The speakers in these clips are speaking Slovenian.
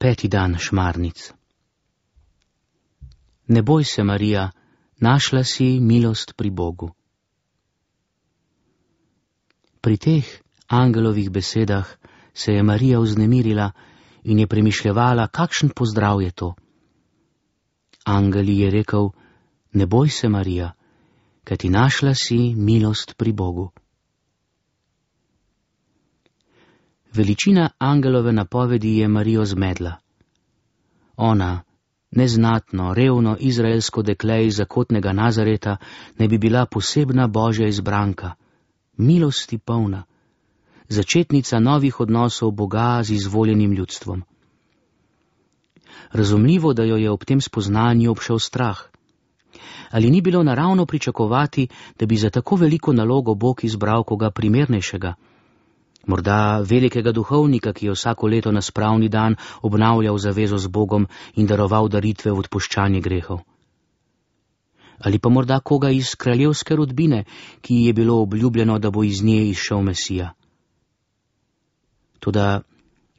5. dan šmarnic. Ne boj se, Marija, našla si milost pri Bogu. Pri teh angelovih besedah se je Marija vznemirila in je premišljevala, kakšen pozdrav je to. Angel ji je rekel: ne boj se, Marija, kajti našla si milost pri Bogu. Veličina angelove napovedi je Marijo zmedla. Ona, neznatno, revno izraelsko dekle iz zakotnega Nazareta, ne bi bila posebna božja izbranka, milosti polna, začetnica novih odnosov Boga z izvoljenim ljudstvom. Razumljivo, da jo je ob tem spoznanju obšel strah. Ali ni bilo naravno pričakovati, da bi za tako veliko nalogo Bog izbral koga primernejšega? Morda velikega duhovnika, ki je vsako leto na spravni dan obnavljal zavezo z Bogom in daroval daritve v odpuščanje grehov. Ali pa morda koga iz kraljevske rodbine, ki ji je bilo obljubljeno, da bo iz nje izšel Mesija. Toda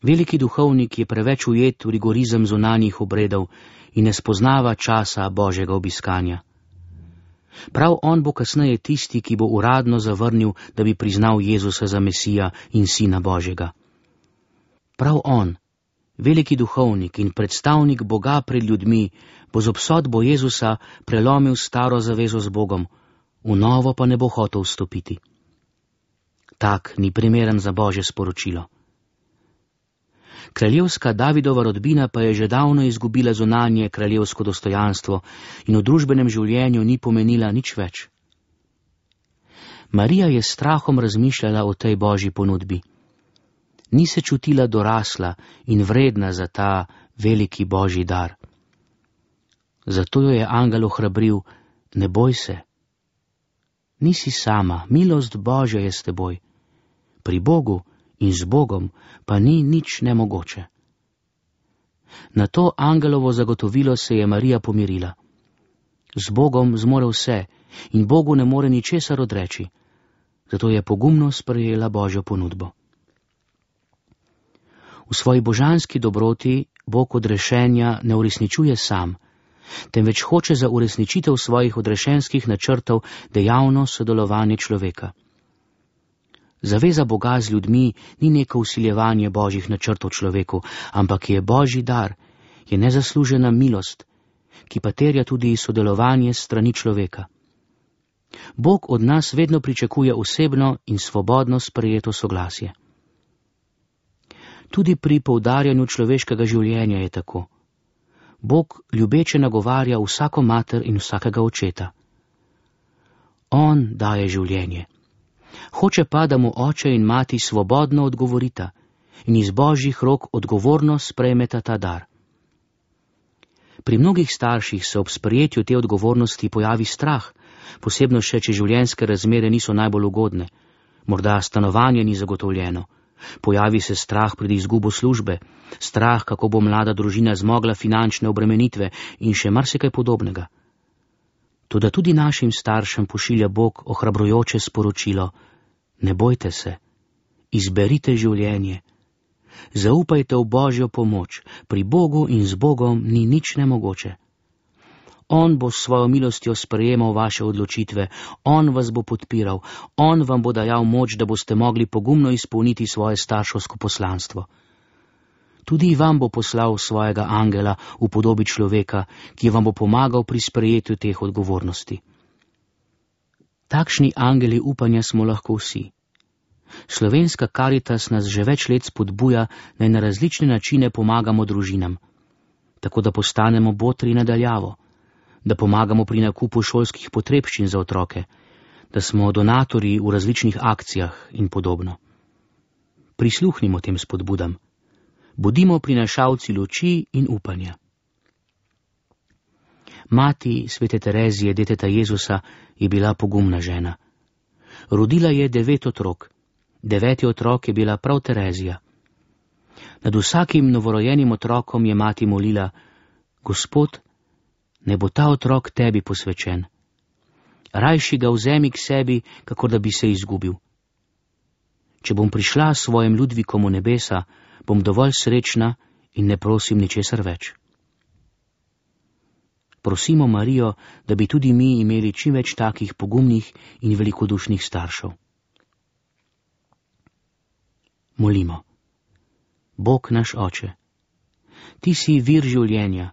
veliki duhovnik je preveč ujet v rigorizem zunanjih obredov in ne spoznava časa Božjega obiskanja. Prav on bo kasneje tisti, ki bo uradno zavrnil, da bi priznal Jezusa za Mesija in Sina Božjega. Prav on, veliki duhovnik in predstavnik Boga pred ljudmi, bo z obsodbo Jezusa prelomil staro zavezo z Bogom, v novo pa ne bo hotel vstopiti. Tak ni primeren za Božje sporočilo. Kraljevska Davidova rodbina pa je že davno izgubila zunanje kraljevsko dostojanstvo in v družbenem življenju ni pomenila nič več. Marija je s strahom razmišljala o tej Božji ponudbi. Ni se čutila dorasla in vredna za ta veliki Božji dar. Zato jo je angel ohrabril: ne boj se. Nisi sama, milost Božja je s teboj. Pri Bogu in z Bogom pa ni nič nemogoče. Na to angelovo zagotovilo se je Marija pomirila. Z Bogom zmore vse in Bogu ne more ničesar odreči, zato je pogumno sprejela Božjo ponudbo. V svoji božanski dobroti Bog odrešenja ne uresničuje sam, temveč hoče za uresničitev svojih odrešenskih načrtov dejavno sodelovanje človeka. Zaveza Boga z ljudmi ni neko vsiljevanje Božjih načrtov človeku, ampak je Božji dar, je nezaslužena milost, ki pa terja tudi sodelovanje s strani človeka. Bog od nas vedno pričakuje osebno in svobodno sprejeto soglasje. Tudi pri poudarjanju človeškega življenja je tako. Bog ljubeče nagovarja vsako mater in vsakega očeta. On daje življenje. Hoče pa, da mu oče in mati svobodno odgovorita in iz Božjih rok odgovorno sprejmeta ta dar. Pri mnogih starših se ob sprejetju te odgovornosti pojavi strah, posebno še, če življenjske razmere niso najbolj ugodne, morda stanovanje ni zagotovljeno, pojavi se strah pred izgubo službe, strah, kako bo mlada družina zmogla finančne obremenitve in še marsikaj podobnega. Toda tudi našim staršem pošilja Bog ohrabrujoče sporočilo: ne bojte se, izberite življenje, zaupajte v Božjo pomoč, pri Bogu in z Bogom ni nič nemogoče. On bo s svojo milostjo sprejemal vaše odločitve, on vas bo podpiral, on vam bo dajal moč, da boste mogli pogumno izpolniti svoje starševsko poslanstvo. Tudi vam bo poslal svojega angela v podobi človeka, ki vam bo pomagal pri sprejetju teh odgovornosti. Takšni angeli upanja smo lahko vsi. Slovenska Karitas nas že več let spodbuja, naj na različne načine pomagamo družinam, tako da postanemo botri nadaljavo, da pomagamo pri nakupu šolskih potrebščin za otroke, da smo donatorji v različnih akcijah in podobno. Prisluhnimo tem spodbudam. Bodimo prinašalci luči in upanja. Mati svete Terezije, deteta Jezusa, je bila pogumna žena. Rodila je 9 otrok. 9. otrok je bila prav Terezija. Nad vsakim novorojenim otrokom je mati molila: Gospod, ne bo ta otrok tebi posvečen. Rajši ga vzemi k sebi, kakor da bi se izgubil. Če bom prišla s svojim Ludvikom v nebesa, bom dovolj srečna in ne prosim ničesar več. Prosimo Marijo, da bi tudi mi imeli čim več takih pogumnih in velikodušnih staršev. Molimo. Bog naš Oče, ti si vir življenja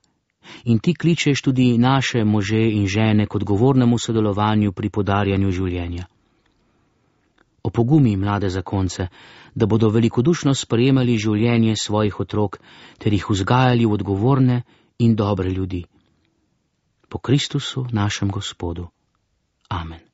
in ti kličeš tudi naše može in žene k odgovornemu sodelovanju pri podarjanju življenja. Opogumi mlade zakonce, da bodo velikodušno sprejemali življenje svojih otrok ter jih vzgajali v odgovorne in dobre ljudi. Po Kristusu našem Gospodu. Amen.